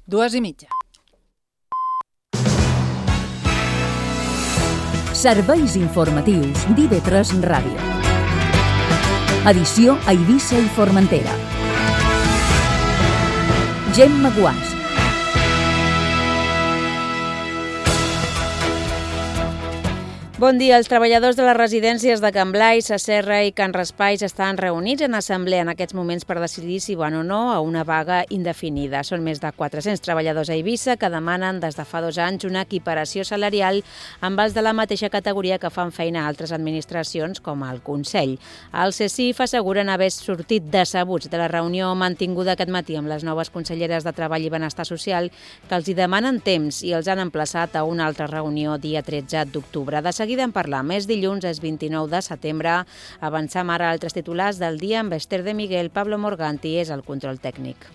2:30. Serveis informatius d'IV3 Ràdio. Edició a Eivissa i Formentera. Gemma Guàs. Bon dia. Els treballadors de les residències de Can Blai, Sa Serra i Can Raspall estan reunits en assemblea en aquests moments per decidir si van o no a una vaga indefinida. Són més de 400 treballadors a Eivissa que demanen des de fa 2 anys una equiparació salarial amb els de la mateixa categoria que fan feina a altres administracions com el Consell. El CECIF asseguren haver sortit decebuts de la reunió mantinguda aquest matí amb les noves conselleres de Treball i Benestar Social, que els hi demanen temps i els han emplaçat a una altra reunió dia 13 d'octubre. De seguida en parlar més. Dilluns és 29 de setembre. Avancem ara a altres titulars del dia amb Esther de Miguel. Pablo Morganti és el control tècnic.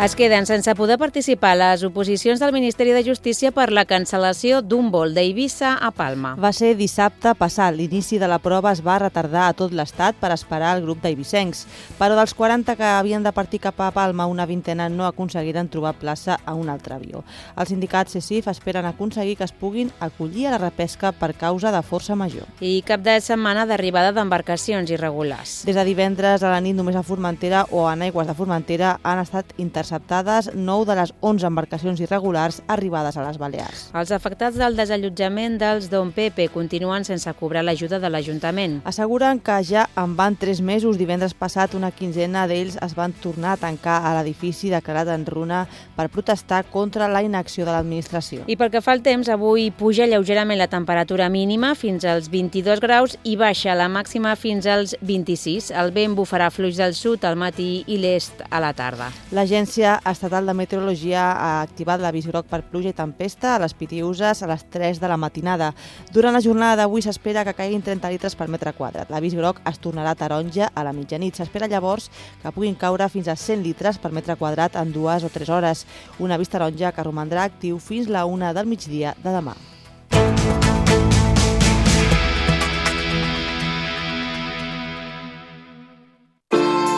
Es queden sense poder participar les oposicions del Ministeri de Justícia per la cancel·lació d'un vol d'Eivissa a Palma. Va ser dissabte passat. L'inici de la prova es va retardar a tot l'Estat per esperar el grup d'eivissencs. Però dels 40 que havien de partir cap a Palma, una vintena no aconseguiren trobar plaça a un altre avió. Els sindicats CECIF esperen aconseguir que es puguin acollir a la repesca per causa de força major. I cap de setmana d'arribada d'embarcacions irregulars. Des de divendres a la nit només a Formentera o en aigües de Formentera han estat interceptades 9 de les 11 embarcacions irregulars arribades a les Balears. Els afectats del desallotjament dels Don Pepe continuen sense cobrar l'ajuda de l'Ajuntament. Asseguren que ja en van 3 mesos. Divendres passat una quinzena d'ells es van tornar a tancar a l'edifici declarat en runa per protestar contra la inacció de l'administració. I pel que fa al temps, avui puja lleugerament la temperatura mínima fins als 22 graus i baixa la màxima fins als 26. El vent bufarà fluix del sud al matí i l'est a la tarda. L'Agència Estatal de Meteorologia ha activat l'avís groc per pluja i tempesta a les Pitiüses a les 3 de la matinada. Durant la jornada d'avui s'espera que caiguin 30 litres per metre quadrat. L'avís groc es tornarà taronja a la mitjanit. S'espera llavors que puguin caure fins a 100 litres per metre quadrat en 2 o 3 hores. Un avís taronja que romandrà actiu fins la 1 del migdia de demà.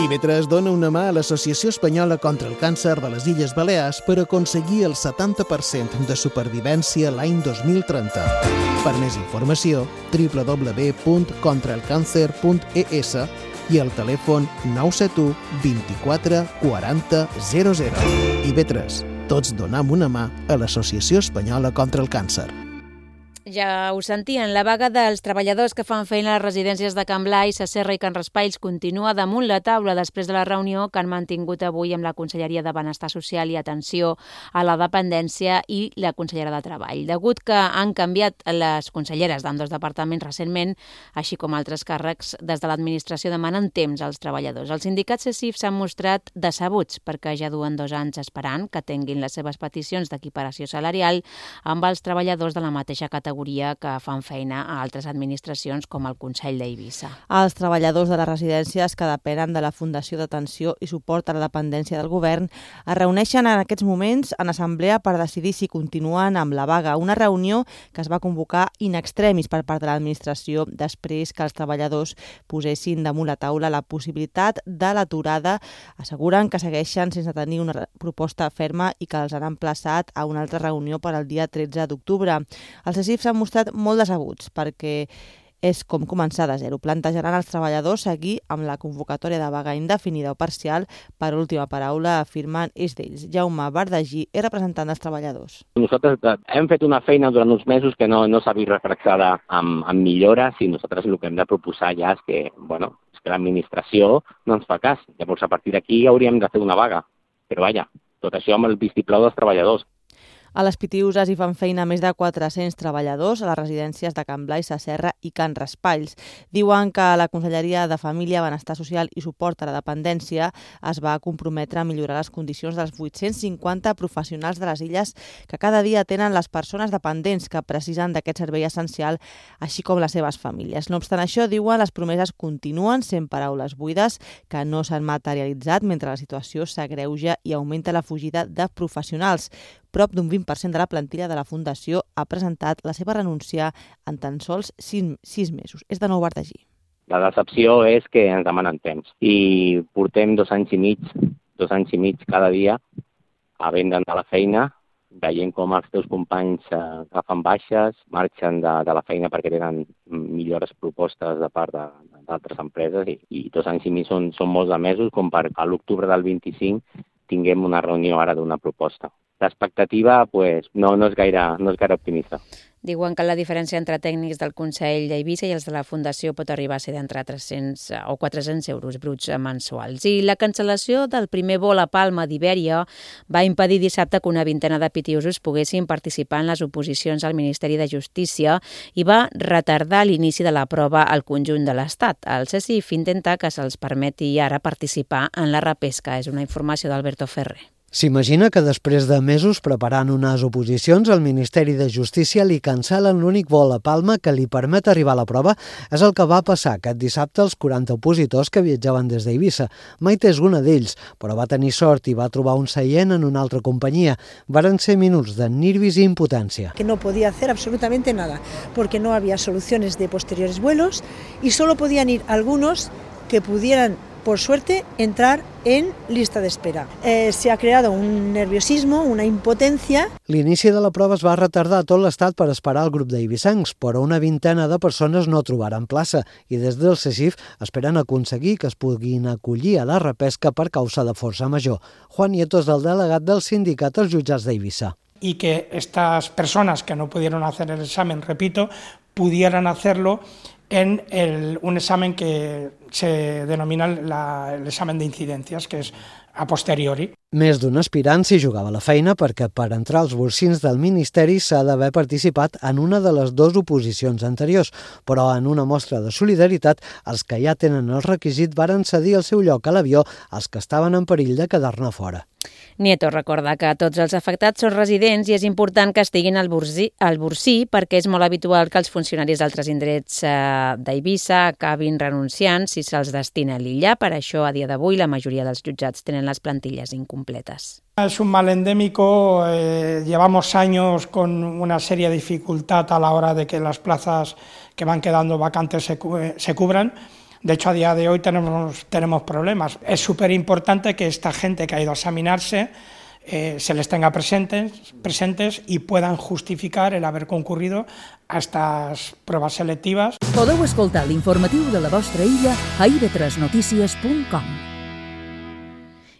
IV3 dona una mà a l'Associació Espanyola contra el Càncer de les Illes Balears per aconseguir el 70% de supervivència l'any 2030. Per més informació, www.contraelcancer.es i el telèfon 971 24 40 00. IV3. Tots donem una mà a l'Associació Espanyola contra el Càncer. Ja ho sentien, la vaga dels treballadors que fan feina a les residències de Can Blai, Sa Serra i Can Raspall continua damunt la taula després de la reunió que han mantingut avui amb la Conselleria de Benestar Social i Atenció a la Dependència i la Consellera de Treball. Degut que han canviat les conselleres d'ambdós departaments recentment, així com altres càrrecs, des de l'administració demanen temps als treballadors. Els sindicats CECIF s'han mostrat decebuts perquè ja duen 2 anys esperant que tinguin les seves peticions d'equiparació salarial amb els treballadors de la mateixa categoria que fan feina a altres administracions com el Consell d'Eivissa. Els treballadors de les residències que depenen de la Fundació d'Atenció i Suport a la Dependència del Govern es reuneixen en aquests moments en assemblea per decidir si continuen amb la vaga. Una reunió que es va convocar in extremis per part de l'administració després que els treballadors posessin damunt la taula la possibilitat de l'aturada. Asseguren que segueixen sense tenir una proposta ferma i que els han emplaçat a una altra reunió per al dia 13 d'octubre. Els CECIF s'han mostrat molt decebuts perquè és com començar de zero. Plantejaran als treballadors seguir amb la convocatòria de vaga indefinida o parcial. Per última paraula, afirmen, és d'ells. Jaume Bardagí és representant dels treballadors. Nosaltres hem fet una feina durant uns mesos que no s'ha vist refrexada amb millores i nosaltres el que hem de proposar ja és que l'administració no ens fa cas. Llavors, a partir d'aquí hauríem de fer una vaga. Però vaja, tot això amb el vistiplau dels treballadors. A les Pitiüses hi fan feina més de 400 treballadors a les residències de Can Blai, Sa Serra i Can Raspall. Diuen que la Conselleria de Família, Benestar Social i Suport a la Dependència es va comprometre a millorar les condicions dels 850 professionals de les illes que cada dia tenen les persones dependents que precisen d'aquest servei essencial, així com les seves famílies. No obstant això, diuen, les promeses continuen sent paraules buides que no s'han materialitzat mentre la situació s'agreuja i augmenta la fugida de professionals. Prop d'un 20% de la plantilla de la Fundació ha presentat la seva renúncia en tan sols 6 mesos. És de nou Bardagí. La decepció és que ens demanen temps i portem 2 anys i mig cada dia havent d'anar a la feina, veient com els teus companys agafen baixes, marxen de la feina perquè tenen millores propostes de part d'altres empreses i 2 anys i mig són molts de mesos com per a l'octubre del 25 tinguem una reunió ara d'una proposta. L'expectativa no és gaire optimista. Diuen que la diferència entre tècnics del Consell d'Eivissa i els de la Fundació pot arribar a ser d'entre 300 o 400 euros bruts mensuals. I la cancel·lació del primer vol a Palma d'Ibèria va impedir dissabte que una vintena de pitiusos poguessin participar en les oposicions al Ministeri de Justícia i va retardar l'inici de la prova al conjunt de l'Estat. El CSIF intenta que se'ls permeti ara participar en la repesca. És una informació d'Alberto Ferrer. S'imagina que després de mesos preparant unes oposicions, el Ministeri de Justícia li cancel·len l'únic vol a Palma que li permet arribar a la prova. És el que va passar aquest dissabte als 40 opositors que viatjaven des d'Eivissa. Maite és una d'ells, però va tenir sort i va trobar un seient en una altra companyia. Varen ser minuts de nervis i impotència. Que no podía hacer absolutamente nada, porque no había soluciones de posteriores vuelos y solo podían ir algunos que pudieran, por suerte, entrar en lista de espera. Se ha creado un nerviosismo, una impotencia. L'inici de la prova es va retardar a tot l'Estat per esperar el grup d'eivissencs, però una vintena de persones no trobaren plaça i des del CSIF esperen aconseguir que es puguin acollir a la repesca per causa de força major. Juan Nieto és el delegat del sindicat als jutjats d'Eivissa. Y que estas personas que no pudieron hacer el examen, repito, pudieran hacerlo en un examen que se denomina el examen de incidencias, que és a posteriori. Més d'un aspirant s'hi jugava la feina perquè per entrar als bolsins del Ministeri s'ha d'haver participat en una de les 2 oposicions anteriors, però en una mostra de solidaritat, els que ja tenen el requisit varen cedir el seu lloc a l'avió als que estaven en perill de quedar-ne fora. Nieto recorda que tots els afectats són residents i és important que estiguin al Borsí perquè és molt habitual que els funcionaris d'altres indrets d'Eivissa acabin renunciant si se'ls destina a l'illa. Per això, a dia d'avui, la majoria dels jutjats tenen les plantilles incompletes. Es un mal endémico, llevamos años con una seria dificultad a la hora de que las plazas que van quedando vacantes se cubran. De hecho, a día de hoy tenemos problemas. Es súper importante que esta gente que ha ido a examinarse se les tenga presentes y puedan justificar el haber concurrido a estas pruebas selectivas. Podeu escoltar l'informatiu de la vostra illa a ib3notícies.com.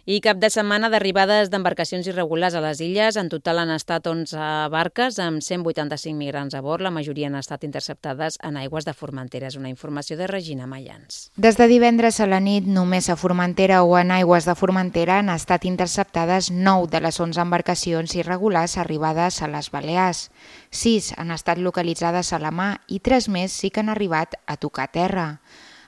I cap de setmana d'arribades d'embarcacions irregulars a les illes. En total han estat 11 barques amb 185 migrants a bord. La majoria han estat interceptades en aigües de Formentera. És una informació de Regina Mayans. Des de divendres a la nit, només a Formentera o en aigües de Formentera han estat interceptades 9 de les 11 embarcacions irregulars arribades a les Balears. 6 han estat localitzades a la mà i 3 més sí que han arribat a tocar terra.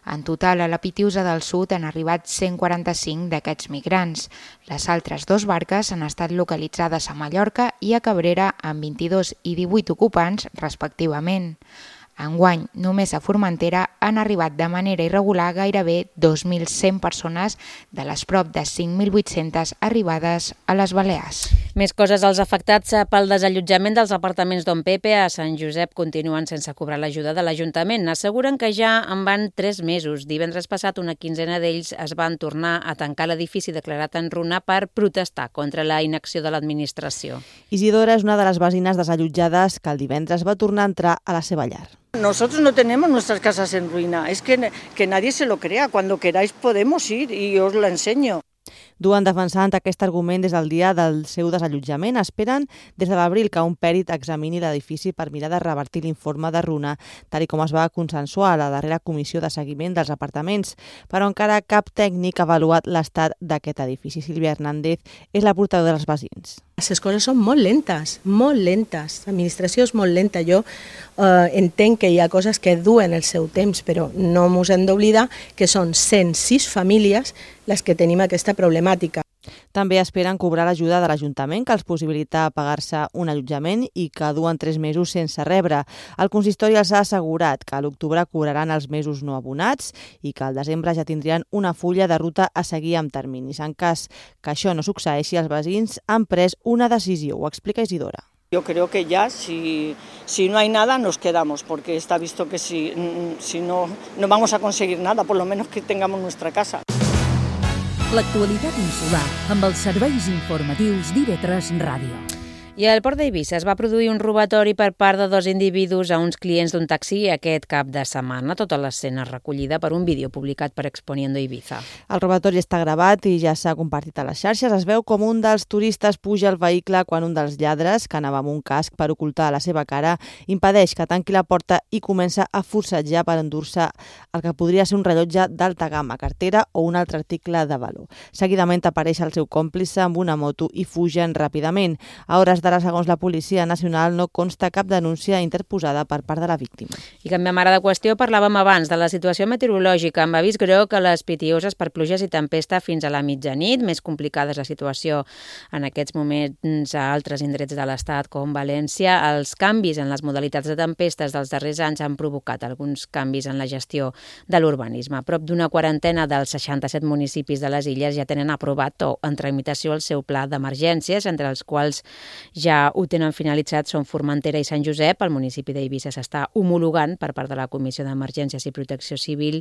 En total, a la Pitiusa del Sud han arribat 145 d'aquests migrants. Les altres 2 barques han estat localitzades a Mallorca i a Cabrera amb 22 i 18 ocupants, respectivament. Enguany, només a Formentera han arribat de manera irregular gairebé 2.100 persones de les prop de 5.800 arribades a les Balears. Més coses. Els afectats pel desallotjament dels apartaments Don Pepe a Sant Josep continuen sense cobrar l'ajuda de l'Ajuntament. Asseguren que ja en van 3 mesos. Divendres passat, una quinzena d'ells es van tornar a tancar l'edifici declarat en runa per protestar contra la inacció de l'administració. Isidora és una de les veïnes desallotjades que el divendres va tornar a entrar a la seva llar. Nosotros no tenemos nuestras casas en ruina, es que nadie se lo crea, cuando queráis podemos ir y os la enseño. Duen defensant aquest argument des del dia del seu desallotjament. Esperen des de l'abril que un pèrit examini l'edifici per mirar de revertir l'informe de runa, tal com es va consensuar a la darrera comissió de seguiment dels apartaments, però encara cap tècnic ha avaluat l'estat d'aquest edifici. Sílvia Hernández és la portaveu dels veïns. Les coses són molt lentes, molt lentes. L'administració és molt lenta. Jo entenc que hi ha coses que duen el seu temps, però no ens hem d'oblidar que són 106 famílies les que tenim aquesta problemàtica. També esperen cobrar l'ajuda de l'Ajuntament, que els possibilita pagar-se un allotjament i que duen 3 mesos sense rebre. El consistori els ha assegurat que a l'octubre cobraran els mesos no abonats i que al desembre ja tindrien una fulla de ruta a seguir amb terminis. En cas que això no succeeixi, els veïns han pres una decisió, ho explica Isidora. Yo creo que ya, si no hay nada, nos quedamos, porque está visto que si no vamos a conseguir nada, por lo menos que tengamos nuestra casa. L'actualitat insular amb els serveis informatius d'IV3 Ràdio. I al Port d'Eivissa es va produir un robatori per part de 2 individus a uns clients d'un taxi aquest cap de setmana. Tota l'escena recollida per un vídeo publicat per Exponiendo Ibiza. El robatori està gravat i ja s'ha compartit a les xarxes. Es veu com un dels turistes puja al vehicle quan un dels lladres, que anava amb un casc per ocultar la seva cara, impedeix que tanqui la porta i comença a forcejar per endur-se el que podria ser un rellotge d'alta gamma, cartera o un altre article de valor. Seguidament apareix el seu còmplice amb una moto i fugen ràpidament. A hores d'ara, segons la Policia Nacional, no consta cap denúncia interposada per part de la víctima. I canviem ara de qüestió. Parlàvem abans de la situació meteorològica amb avís groc a les Pitiüses per pluges i tempesta fins a la mitjanit. Més complicada és la situació en aquests moments a altres indrets de l'Estat, com València. Els canvis en les modalitats de tempestes dels darrers anys han provocat alguns canvis en la gestió de l'urbanisme. Prop d'una quarantena dels 67 municipis de les illes ja tenen aprovat o en tramitació el seu pla d'emergències, entre els quals ja ho tenen finalitzat són Formentera i Sant Josep. El municipi d'Eivissa s'està homologant per part de la Comissió d'Emergències i Protecció Civil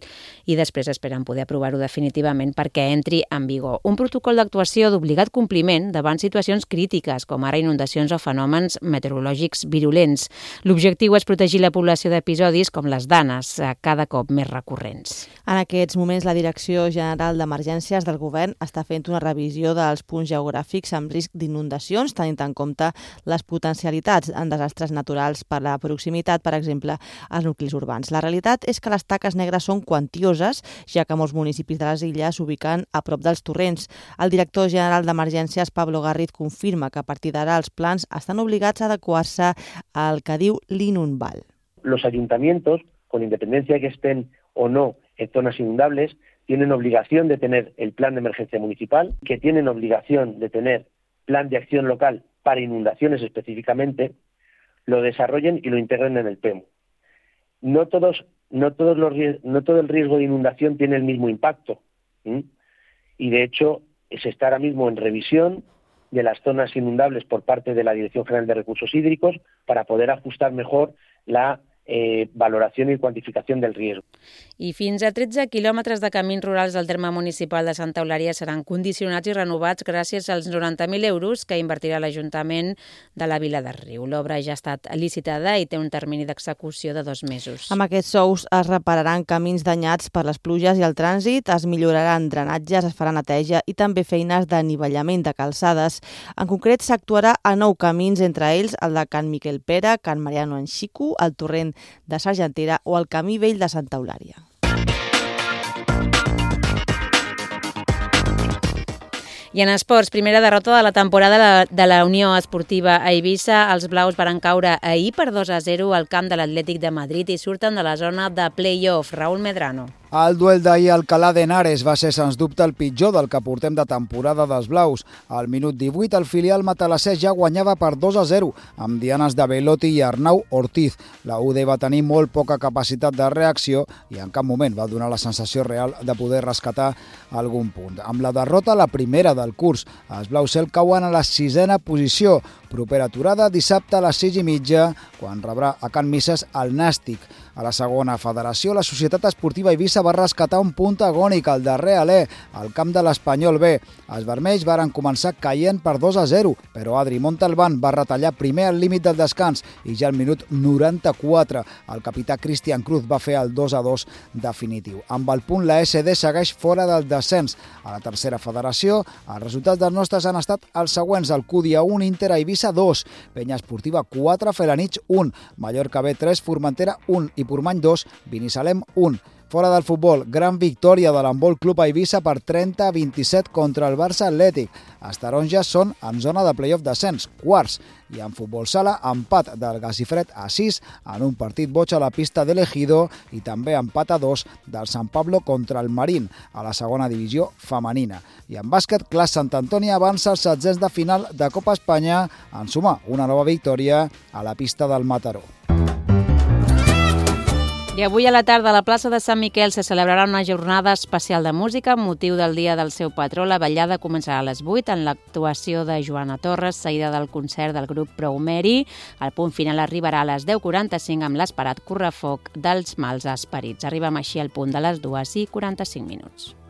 i després esperen poder aprovar-ho definitivament perquè entri en vigor. Un protocol d'actuació d'obligat compliment davant situacions crítiques, com ara inundacions o fenòmens meteorològics virulents. L'objectiu és protegir la població d'episodis com les danes, cada cop més recurrents. En aquests moments, la Direcció General d'Emergències del Govern està fent una revisió dels punts geogràfics amb risc d'inundacions, tenint en compte les potencialitats en desastres naturals per la proximitat, per exemple, als nuclis urbans. La realitat és que les taques negres són quantioses, ja que molts municipis de les illes s'ubiquen a prop dels torrents. El director general d'Emergències, Pablo Garriz, confirma que a partir d'ara els plans estan obligats a adequar-se al que diu l'Inunval. Los ayuntamientos, con independencia de que estén o no en zonas inundables, tienen obligación de tener el plan de emergencia municipal, que tienen obligación de tener plan de acción local para inundaciones específicamente, lo desarrollen y lo integren en el PEMU. No todo el riesgo de inundación tiene el mismo impacto. Y de hecho se está ahora mismo en revisión de las zonas inundables por parte de la Dirección General de Recursos Hídricos para poder ajustar mejor la valoració i quantificació del risc. I fins a 13 quilòmetres de camins rurals del terme municipal de Santa Eulària seran condicionats i renovats gràcies als 90.000 euros que invertirà l'Ajuntament de la Vila de Riu. L'obra ja ha estat licitada i té un termini d'execució de 2 mesos. Amb aquests sous es repararan camins danyats per les pluges i el trànsit, es milloraran drenatges, es farà neteja i també feines d'anivellament de calçades. En concret, s'actuarà a 9 camins, entre ells el de Can Miquel Pere, Can Mariano en Xico, el torrent de Sargentera o el Camí Vell de Santa Eulària. I en esports, primera derrota de la temporada de la Unió Esportiva a Eivissa. Els blaus van caure ahir per 2-0 al camp de l'Atlètic de Madrid i surten de la zona de play-off. Raúl Medrano. El duel d'ahir al Alcalá de Henares va ser, sens dubte, el pitjor del que portem de temporada dels blaus. Al minut 18, el filial matalassès ja guanyava per 2-0, amb dianes de Belotti i Arnau Ortiz. La UD va tenir molt poca capacitat de reacció i en cap moment va donar la sensació real de poder rescatar algun punt. Amb la derrota, la primera del curs, els blaus cel cauen a la 6a posició. Propera aturada dissabte a les 6:30, quan rebrà a Can Misses el Nàstic. A la segona federació, la Societat Esportiva Eivissa va rescatar un punt agònic al darrer alè, al camp de l'Espanyol B. Els vermells varen començar caient per 2-0, però Adri Montalbán va retallar primer al límit del descans i ja al minut 94 el capità Cristian Cruz va fer el 2-2 definitiu. Amb el punt, la SD segueix fora del descens. A la tercera federació, els resultats dels nostres han estat els següents: el Cúdia 1, Inter a Eivissa 2, Penya Esportiva 4, Felanitx 1, Mallorca B 3, Formentera 1 i Portmany 2, Binissalem 1. Fora del futbol, gran victòria de l'Handbol Club a Eivissa per 30-27 contra el Barça Atlètic. Els taronges són en zona de play-off descens, quarts. I en futbol sala, empat del Gasifred a 6 en un partit boig a la pista de l'Ejido i també empat a 2 del San Pablo contra el Marín a la segona divisió femenina. I en bàsquet, Clas Sant Antoni avança als setzents de final de Copa Espanya en sumar una nova victòria a la pista del Mataró. I avui a la tarda a la plaça de Sant Miquel se celebrarà una jornada especial de música amb motiu del dia del seu patró. La ballada començarà a les 8 en l'actuació de Joana Torres, seguida del concert del grup Prou Meri. El punt final arribarà a les 10:45 amb l'esperat correfoc dels mals esperits. Arribem així al punt de les 2:45.